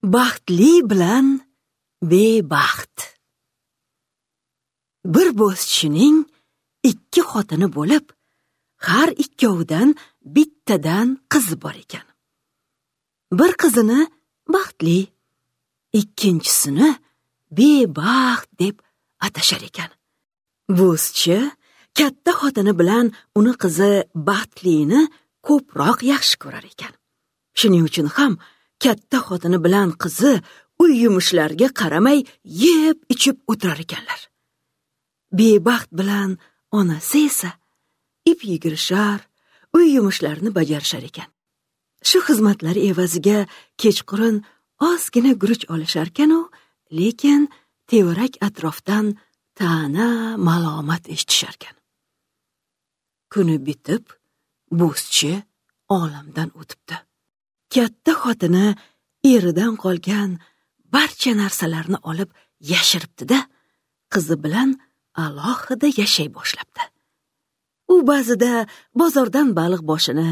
Baxtli bilan bebaxt. Bir bo'zchining ikki xotini bo'lib, har ikkovidan bittadan qizi bor ekan. Bir qizini baxtli, ikkinchisini bebaxt deb atashar ekan. Bo'zchi katta xotini bilan uni qizi baxtlini ko'proq yaxshi ko'rar ekan. Shuning uchun ham katta xotini bilan qizi uy yumushlariga qaramay yeb ichib o'tirar ekanlar. Bebaxt bilan onasi esa ip yigirishar, uy yumushlarini bajarishar ekan. Shu xizmatlari evaziga kechqurun ozgina guruch olisharkan-u, lekin tevarak atrofdan ta'na malomat eshitisharkan. Kuni bitib, bo'zchi olamdan o'tibdi. Katta xotini eridan qolgan barcha narsalarni olib yashiribdi-da, qizi bilan alohida yashay boshlabdi. U ba'zida bozordan baliq boshini,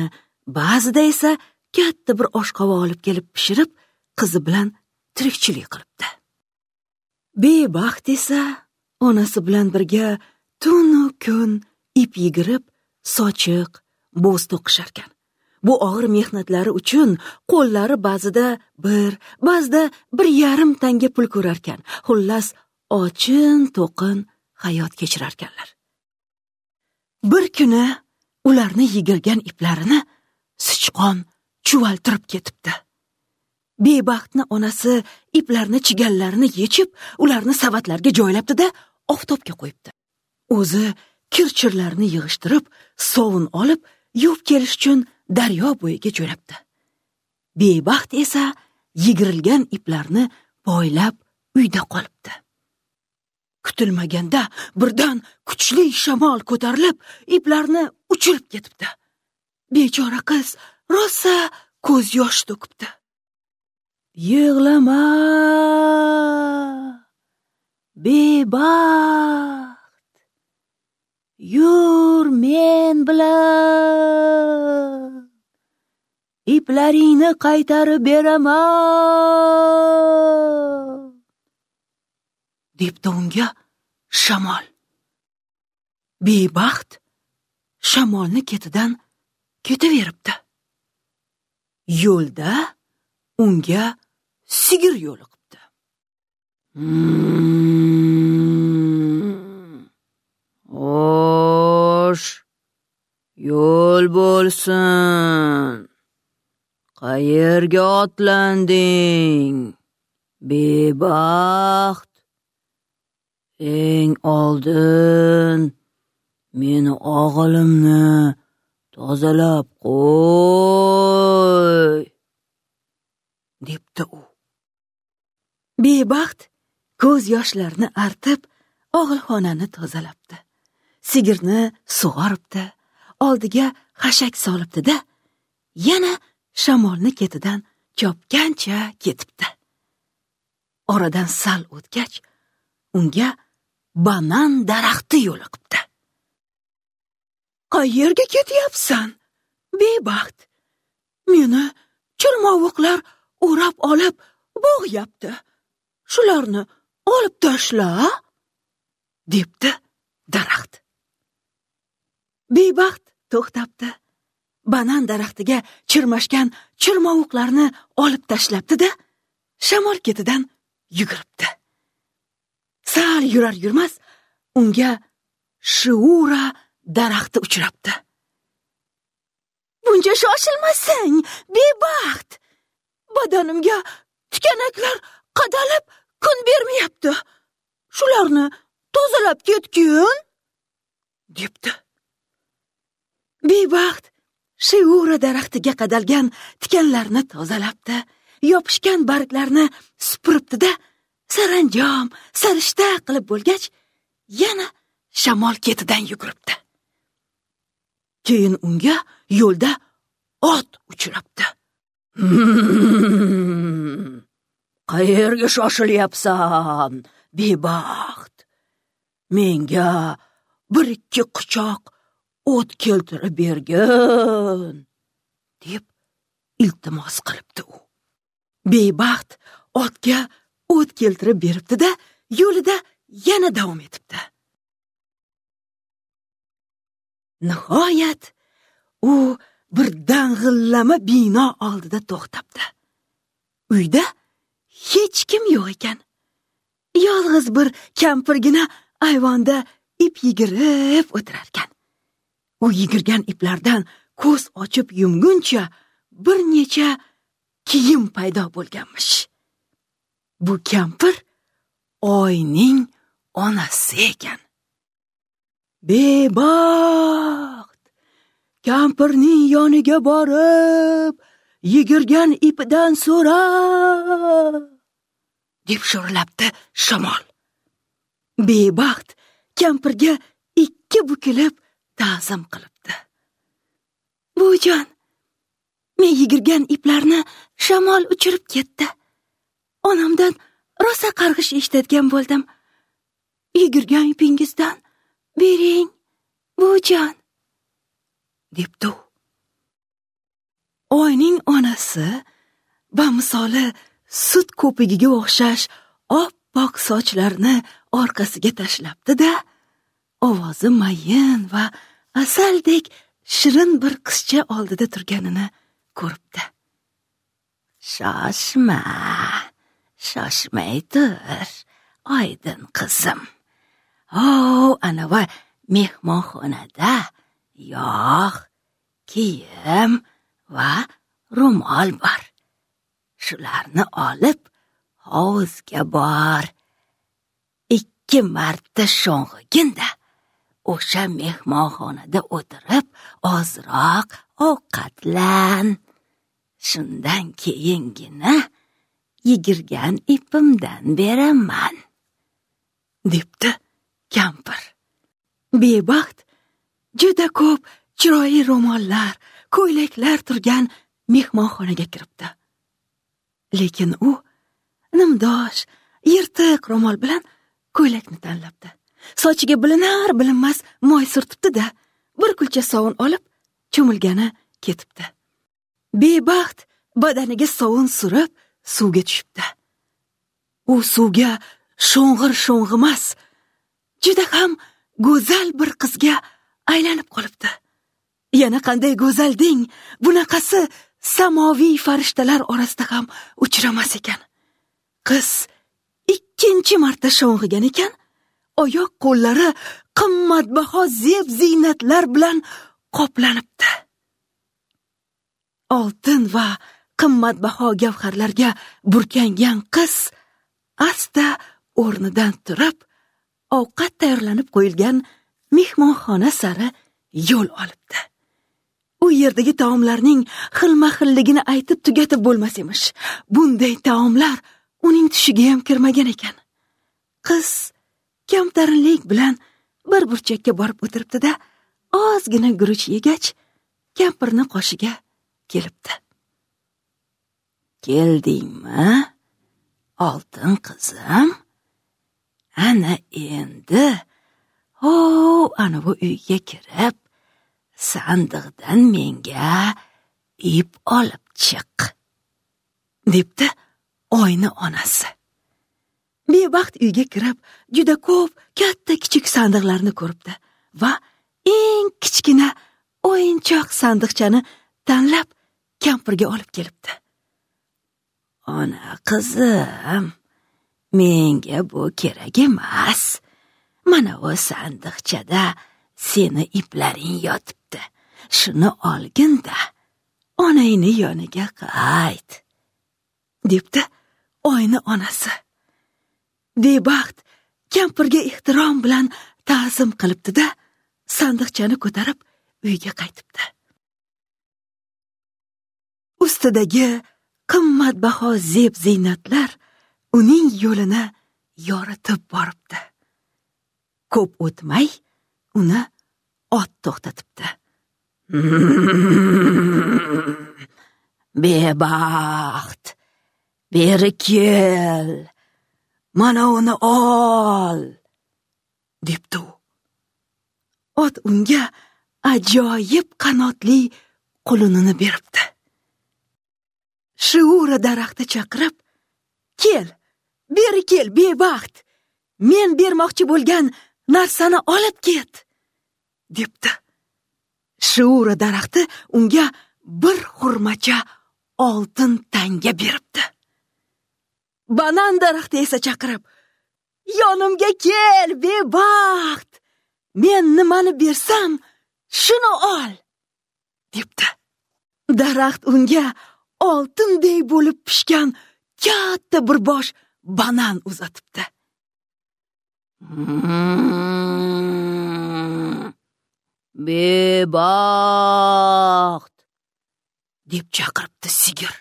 ba'zida esa katta bir oshqovoq olib kelib pishirib, qizi bilan tirikchilik qilibdi. Bebaxt esa onasi bilan birga tunu kun ip yigirib, sochiq, bo'z to'qisharkan. Bu og'ir mehnatlari uchun qo'llari ba'zida bir, ba'zida 1,5 tanga pul ko'rarkan. Xullas, ochin to'qin hayot kechirarkanlar. Bir kuni ularni yigirgan iplarini sichqon chuvaltirib ketibdi. Bebaxtni onasi iplarni chigallarini yechib, ularni savatlarga joylabdi-da, oftobga qo'yibdi. O'zi kir-chirlarni yig'ishtirib, sovun olib, yuvib kelish uchun daryo bo'yiga jo'nabdi. Bebaxt esa yigirilgan iplarni poylab uyda qolibdi. Kutilmaganda birdan kuchli shamol ko'tarilib, iplarni uchirib ketibdi. Bechora qiz rosa ko'z yosh to'kibdi. Yig'lama, bebaxt, yur men bilan, iplaringni qaytarib beraman, debdi unga shamol. Bebaxt shamolni ketidan ketaveribdi. Yo'lda unga sigir yo'liqibdi. Osh, yo'l bo'lsin. Qayerga otlanding, bebaxt? Eng oldin meni og'ilimni tozalab qo'y, debdi u. Bebaxt ko'z yoshlarini artib, og'ilxonani tozalabdi. Sigirni sug'oribdi, oldiga xashak solibdi-da, yana shamolni ketidan chopgancha ketibdi. Oradan sal o'tgach, unga banan daraxti yo'liqibdi. Qayerga ketyapsan, bebaxt? Meni chirmovuqlar o'rab olib bo'g'yapti. Shularni olib tashla, debdi daraxt. Bebaxt to'xtabdi. Banan daraxtiga chirmashgan chirmovuqlarni olib tashlabdi-da, shamol ketidan yuguribdi. Sal yurar yurmas unga shiura daraxti uchrabdi. Buncha shoshilmasang, bebaxt. Badanimga tikanaklar qadalib kun bermayapti. Shularni tozalab ketgin, debdi. Bebaxt shiura daraxtiga qadalgan tikanlarni tozalabdi, yopishgan barglarni supuribdi-da, saranjom sarishta qilib bo'lgach, yana shamol ketidan yuguribdi. Keyin unga yo'lda ot uchrabdi. Qayerga shoshilyapsan, bebaxt? Menga 1-2 quchoq o't keltirib bergin, deb iltimos qilibdi u. Bebaxt otga o't keltirib beribdi-da, yo'lida yana davom etibdi. Nihoyat u bir dang'illama bino oldida to'xtabdi. Uyda hech kim yo'q ekan. Yolg'iz bir kampirgina ayvonda ip yigirib o'tirarkan. U yigirgan iplardan ko'z ochib yumguncha bir necha kiyim paydo bo'lganmish. Bu kampir oyning onasi ekan. Bebaxt kampirning yoniga borib, yigirgan ipidan so'ra, deb sho'rlabdi shamol. Bebaxt kampirga ikki bukilib ta'zim qilibdi. Buvijon, men yigirgan iplarni shamol uchirib ketdi. Onamdan rosa qarg'ish eshitadigan bo'ldim. Yigirgan ipingizdan bering, buvijon, debdi u. Oyning onasi bamisoli sut ko'pigiga o'xshash oppoq sochlarini orqasiga tashlabdi-da, ovozi mayin va asaldek shirin bir qizcha oldida turganini ko'ribdi. Shoshma, shoshmay tur, oydin qizim. O, anava mehmonxonada yog', kiyim va ro'mol bor. Shularni olib hovuzga bor. 2 marta sho'ng'iginda o'sha mehmonxonada o'tirib ozroq ovqatlan. Shundan keyingina yigirgan ipimdan beraman, debdi kampir. Bebaxt juda ko'p chiroyli ro'mollar, ko'ylaklar turgan mehmonxonaga kiribdi. Lekin u nimdosh, yirtiq ro'mol bilan ko'ylakni tanlabdi. Sochiga bilinar bilinmas moy surtibdi-da, bir kulcha sovun olib cho'milgani ketibdi. Bebaxt badaniga sovun surib suvga tushibdi. U suvga sho'ng'ir sho'ng'imas, juda ham go'zal bir qizga aylanib qolibdi. Yana qanday go'zal deng, bunaqasi samoviy farishtalar orasida ham uchramas ekan. Qiz 2 marta sho'ng'igan ekan, oyoq qo'llari qimmatbaho zeb ziynatlar bilan qoplanibdi. Oltin va qimmatbaho gavharlarga burkangan qiz asta o'rnidan turib, ovqat tayyorlanib qo'yilgan mehmonxona sari yo'l olibdi. U yerdagi taomlarning xilma-xilligini aytib tugatib bo'lmas emish. Bunday taomlar uning tushiga ham kirmagan ekan. Qiz kamtarinlik bilan bir burchakka borib o'tiribdi-da, ozgina guruch yegach, kampirni qoshiga kelibdi. Keldingmi, oltin qizim? Ana endi, ana bu uyga kirib, sandiqdan menga ip olib chiq, debdi oyni onasi. Bebaxt uyga kirib, juda ko'p katta kichik sandiqlarni ko'ribdi va eng kichkina o'yinchoq sandiqchani tanlab kampirga olib kelibdi. Ona qizim, menga bu kerak emas. Mana o sandiqchada seni iplaring yotibdi. Shuni olgin-da, onangni yoniga qayt, debdi oyni onasi. Bebaxt kampirga ehtirom bilan ta'zim qilibdi-da, sandiqchani ko'tarib uyga qaytibdi. Ustidagi qimmatbaho zeb ziynatlar uning yo'lini yoritib boribdi. Ko'p o'tmay uni ot to'xtatibdi. Bebaxt, beri kel, mana uni ol, debdi u. Ot unga ajoyib qanotli qulunini beribdi. Shiura daraxti chaqirib, "Kel, beri kel, bebaxt. Men bermoqchi bo'lgan narsani olib ket", debdi. Shiura daraxti unga bir xurmacha oltin tanga beribdi. Banan daraxti esa chaqirib: "Yonimga kel, bebaxt. Men nimani bersam, shuni ol", debdi. Daraxt unga oltinday bo'lib pishgan katta bir bosh banan uzatibdi. "Bebaxt", deb chaqiribdi sigir.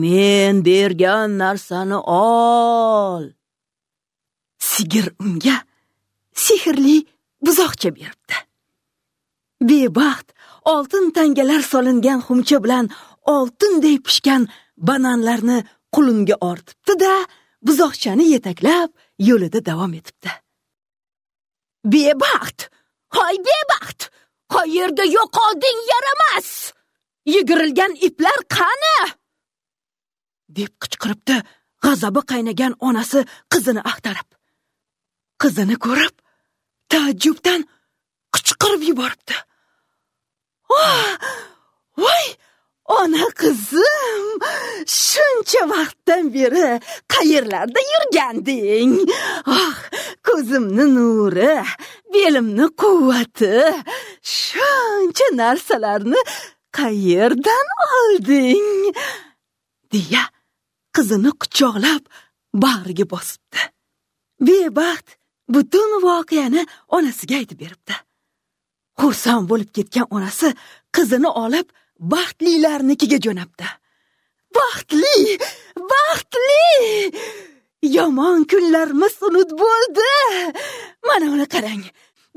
"Men bergan narsani ol." Sigir unga sehrli buzoqcha beribdi. Bebaxt oltin tangalar solingan xumcha bilan oltinday pishgan bananlarni qulunga ortibdi-da, buzoqchani yetaklab yo'lida davom etibdi. "Bebaxt, hoy bebaxt, qayerda yo'qolding yaramas? Yigirilgan iplar qani?" deb qichqiribdi g'azabi qaynagan onasi qizini axtarib. Qizini ko'rib taajjubdan qichqirib yuboribdi. "Voy, ona qizim, shuncha vaqtdan beri qayerlarda yurganding? Ah, ko'zimni nuri, belimni quvvati, shuncha narsalarni qayerdan olding?" deya qizini quchoqlab bag'riga bosibdi. Bebaxt butun voqeani onasiga aytib beribdi. Xursand bo'lib ketgan onasi qizini olib baxtlilarnikiga jo'nabdi. "Baxtli, baxtli! Yomon kunlarimiz unut bo'ldi. Mana uni qarang.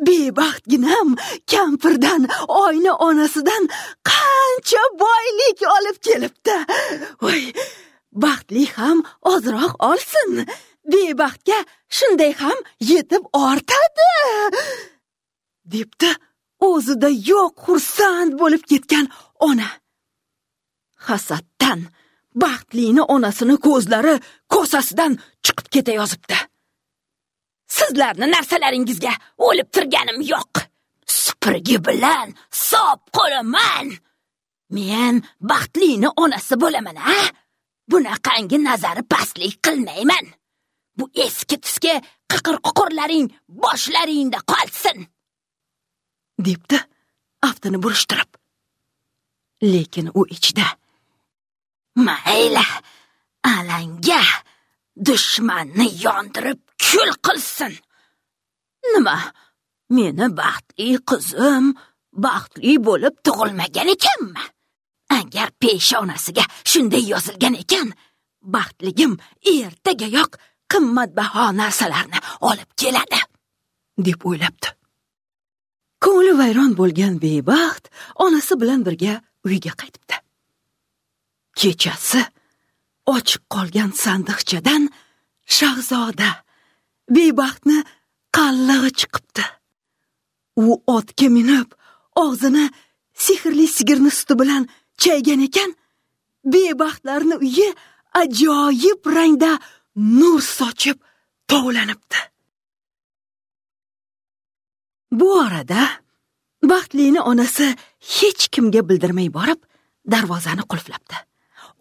Bebaxtginam kampirdan, oyna onasidan qancha boylik olib kelibdi. Voy, baxtli ham ozroq olsin. Bebaxtga shunday ham yetib ortadi", debdi o'zida yo'q xursand bo'lib ketgan ona. Hasaddan baxtlini onasini ko'zlari kosasidan chiqib ketayozibdi. "Sizlarni narsalaringizga o'lib turganim yo'q. Supurgi bilan sop qo'laman. Men baxtlini onasi bo'laman, ha? Bunaqangi nazari pastlik qilmayman. Bu eski tusga qiqir-ququrlaring boshlaringda qolsin", debdi aftini burishtirib. Lekin u ichida: "Mayli, alanga dushmanni yondirib kul qilsin. Nima, meni baxtli qizim baxtli bo'lib tug'ilmagan ekanmi? Agar peshonasiga shunday yozilgan ekan, baxtligim ertagayoq qimmatbaho narsalarni olib keladi", deb o'ylabdi. Ko'ngli vayron bo'lgan bebaxt onasi bilan birga uyga qaytibdi. Kechasi ochiq qolgan sandiqchadan shahzoda bebaxtni qallig'i chiqibdi. U otga minib, og'zini sehrli sigirni suti bilan chaygan ekan, bebaxtlarni uyi ajoyib rangda nur sochib tovlanibdi. Bu orada baxtlini onasi hech kimga bildirmay borib, darvozani qulflabdi.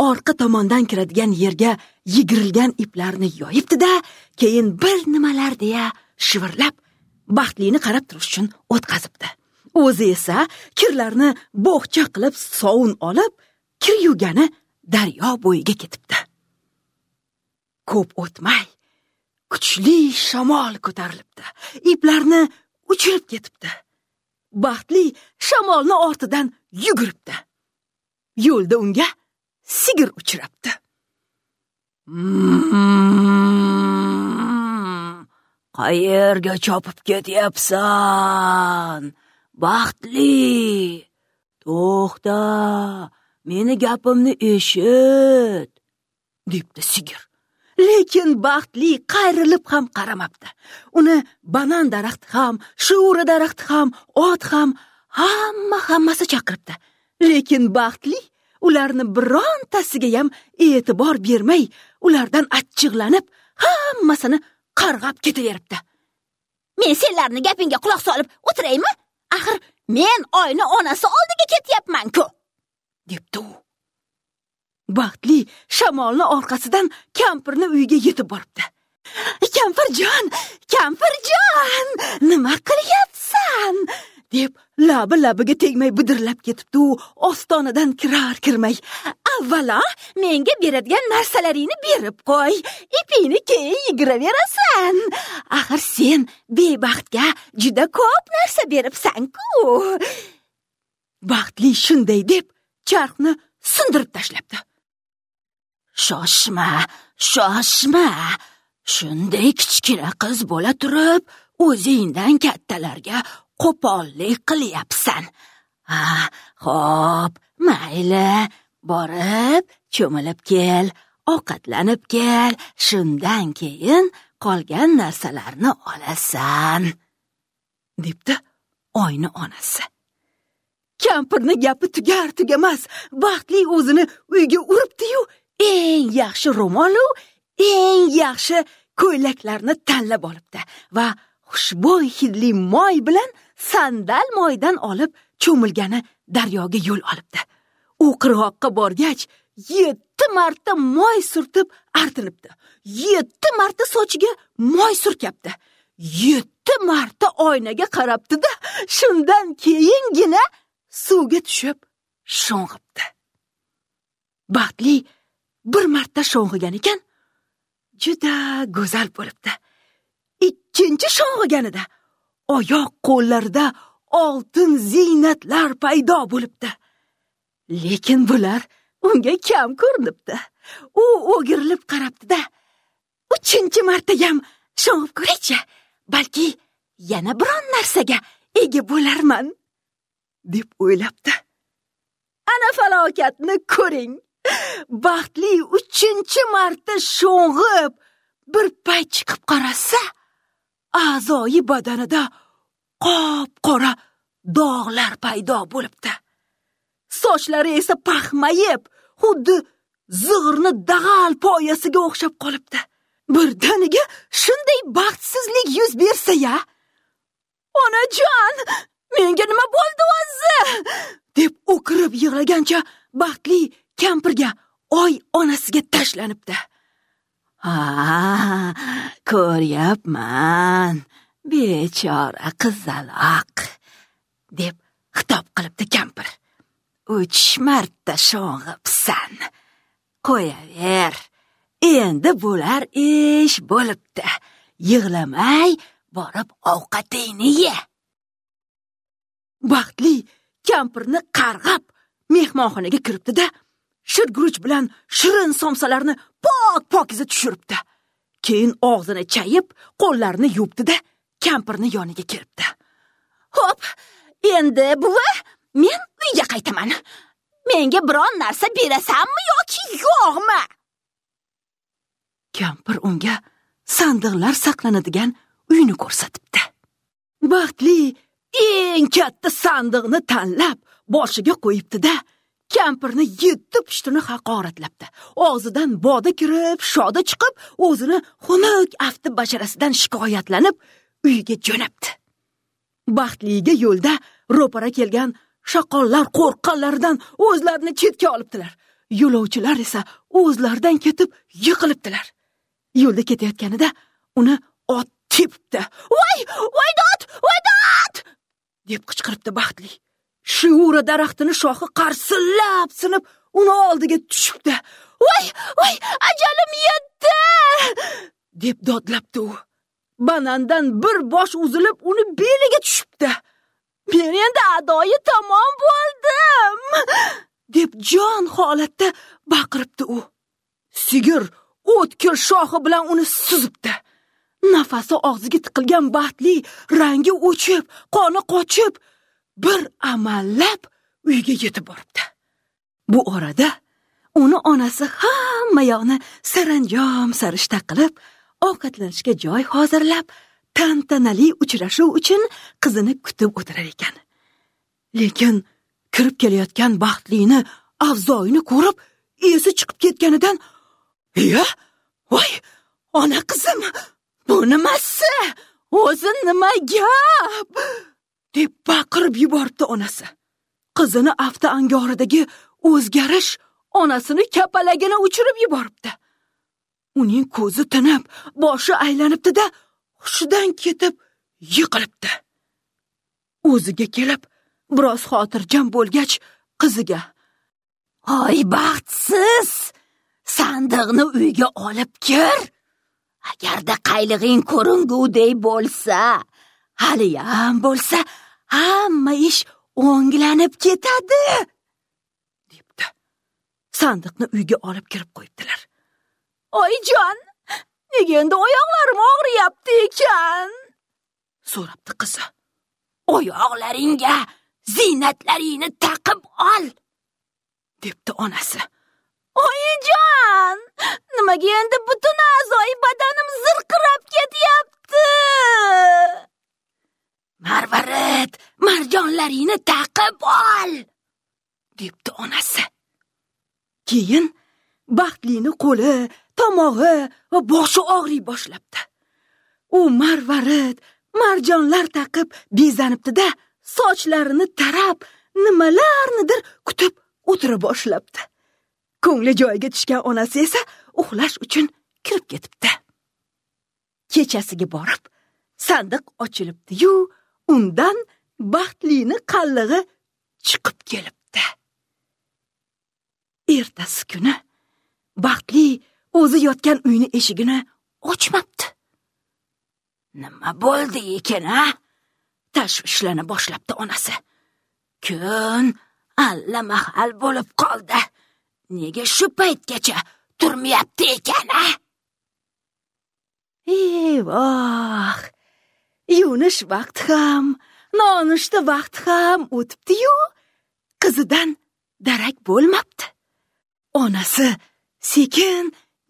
Orqa tomondan kiradigan yerga yigirilgan iplarni yoyibdi-da, keyin bir nimalar deya shivirlab, baxtlini qarab turish uchun o'tkazibdi. O'zi esa kirlarni bo'xcha qilib sovun olib, kir yuvgani daryo bo'yiga ketibdi. Ko'p o'tmay kuchli shamol ko'tarilibdi. Iplarni uchirib ketibdi. Baxtli shamolni ortidan yuguribdi. Yo'lda unga sigir uchrabdi. "Qayerga chopib ketyapsan, baxtli? To'xta, meni gapimni eshit", debdi sigir. Lekin baxtli qayrilib ham qaramabdi. Uni banan daraxti ham, shiura daraxti ham, ot ham, hammasi chaqiribdi. Lekin baxtli ularni birontasiga ham e'tibor bermay, ulardan achchiqlanib, hammasini qarg'ab ketaveribdi. Men senlarni gapingga quloq solib o'tiraymi? Axir men oyni onasi oldiga ketyapman-ku, debdi u. Baxtli shamolni orqasidan kampirni uyiga yetib boribdi. Kampirjon, kampirjon, nima qilyapsan? Deb labi labiga tegmay bidirlab ketibdi u ostonadan kirar kirmay. Avvalo menga beradigan narsalaringni berib qo'y, ipingni keyin yigraverasan. Axir sen bebaxtga juda ko'p narsa beribsan-ku. Baxtli shunday deb charxni sindirib tashlabdi. Shoshma, shoshma. Shunday kichkina qiz bo'la turib, o'zingdan kattalarga qo'pollik qilyapsan. Ha, xo'p, mayli, borib cho'milib kel, ovqatlanib kel, shundan keyin qolgan narsalarni olasan, debdi oyni onasi. Kampirni gapi tugar tugamas, Baxtli o'zini uyga uribdi-yu, eng yaxshi ro'mol-u, eng yaxshi ko'ylaklarni tanlab olibdi va xushbo'y hidli moy bilan sandal moydan olib cho'milgani daryoga yo'l olibdi. U qirg'oqqa borgach 7 marta moy surtib artinibdi. 7 marta sochiga moy surkabdi. 7 marta oynaga qarabdi-da, shundan keyingina suvga tushib sho'ng'ibdi. Baxtli bir marta sho'ng'igan ekan, juda go'zal bo'libdi. Ikkinchi sho'ng'iganida oyoq qo'llarida oltin ziynatlar paydo bo'libdi. Lekin bular unga kam ko'rinibdi. U o'girilib qarabdi-da, 3-chi marta ham sho'ng'ib ko'raychi, balki yana biron narsaga ega bo'larman, deb o'ylabdi. Ana falokatni ko'ring. Baxtli 3-chi marta sho'ng'ib bir payt chiqib qarasa, a'zoyi badanida qop-qora dog'lar paydo bo'libdi. Sochlari esa paxmayib, xuddi zig'irni dag'al poyasiga o'xshab qolibdi. Birdaniga shunday baxtsizlik yuz bersa-ya, onajon, menga nima bo'ldi o'zi? Deb o'kirib yig'lagancha Baxtli kampirga, oy onasiga tashlanibdi. Ha, ko'ryapman, bechora qizaloq, deb xitob qilibdi kampir. 3 marta sho'ng'ibsan. Qo'yaver. Endi bo'lar ish bo'libdi. Yig'lamay borib ovqatingni ye. Baxtli kampirni qarg'ab mehmonxonaga kiribdi-da, shirguruch bilan shirin somsalarni pok-pokiza tushiribdi. Keyin og'zini chayib, qo'llarini yuvibdi-da, kampirni yoniga kelibdi. Xo'p, endi buva, men uyga qaytaman. Menga biron narsa berasanmi yoki yo'qmi? Kampir unga sandiqlar saqlanadigan uyni ko'rsatibdi. Baxtli eng katta sandiqni tanlab boshiga qo'yibdi-da, kampirni 7 pushtini haqoratlabdi. Og'zidan boda kirib, shoda chiqib, o'zini xunuk afti basharasidan shikoyatlanib uyga jo'nabdi. Baxtliga yo'lda ro'para kelgan shaqollar qo'rqqanlaridan o'zlarini chetga olibdilar. Yo'lovchilar esa o'zlaridan ketib yiqilibdilar. Yo'lda ketayotganida uni ot tepibdi. "Voy, voy dod, voy dod!" deb qichqiribdi Baxtli. Shiura daraxtini shoxi qarsillab sinib, uni oldiga tushibdi. "Voy, voy, ajalim yetdi!" deb dodlabdi u. Banandan bir bosh uzilib, uni beliga tushibdi. "Men endi adoyi tamom bo'ldim!" deb jon holatda baqiribdi u. Sigir o'tkir shoxi bilan uni suzibdi. Nafasi og'ziga tiqilgan Baxtli rangi o'chib, qoni qochib, bir amallab uyga yetib boribdi. Bu orada uni onasi hamma yoqni saranjom sarishta qilib, ovqatlanishga joy hozirlab, tantanali uchrashuv uchun qizini kutib o'tirar ekan. Lekin kirib kelayotgan Baxtlini avzoyini ko'rib esi chiqib ketganidan, "Iya, voy, ona qizim, bu nimasi? O'zi nima gap?" deb baqirib yuboribdi onasi. Qizini afti angoridagi o'zgarish onasini kapalagini uchirib yuboribdi. Uning ko'zi tinib, boshi aylanibdi-da, hushidan ketib yiqilibdi. O'ziga kelib, biroz xotirjam bo'lgach, qiziga: "Oy baxtsiz, sandiqni uyga olib kir. Agarda qaylig'ing ko'ringuday bo'lsa, haliyam bo'lsa, hamma ish o'nglanib ketadi", debdi. Sandiqni uyga olib kirib qo'yibdilar. "Oyijon, nega endi oyoqlarim og'riyapti ekan?" so'rabdi qizi. "Oyoqlaringga ziynatlaringni taqib ol", debdi onasi. "Oyijon, nimaga endi butun a'zoyi badanim zirqirab ketyapti?" "Marvarid, marjonlaringni taqib ol", debdi onasi. Keyin Baxtlini qo'li, tomog'i va boshi og'riy boshlabdi. U marvarid, marjonlar taqib bezanibdi-da, sochlarini tarab, nimalarnidir kutib o'tira boshlabdi. Ko'ngli joyiga tushgan onasi esa uxlash uchun kirib ketibdi. Kechasiga borib, sandiq ochilibdi-yu, undan Baxtlini qallig'i chiqib kelibdi. Ertasi kuni Baxtli o'zi yotgan uyni eshigini ochmabdi. Nima bo'ldi ekan, a? Tashvishlana boshlabdi onasi. Kun allamahal bo'lib qoldi. Nega shu paytgacha turmayapti ekan, a? Eyvoh! Yuvinish vaqti ham, nonushta vaqti ham o'tibdi-yu, qizidan darak bo'lmabdi. Onasi sekin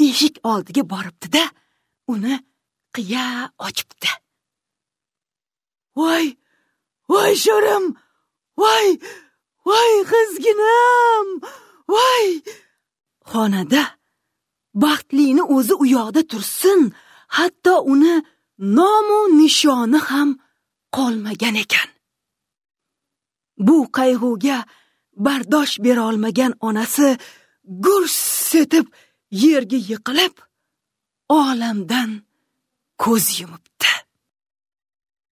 eshik oldiga boribdi-da, uni qiya ochibdi. "Voy, voy sho'rim, voy, voy qizginam, voy!" Xonada Baxtlini o'zi u yoqda tursin, hatto uni nomu nishoni ham qolmagan ekan. Bu qayg'uga bardosh bera olmagan onasi gurs etib yerga yiqilib, olamdan ko'z yumibdi.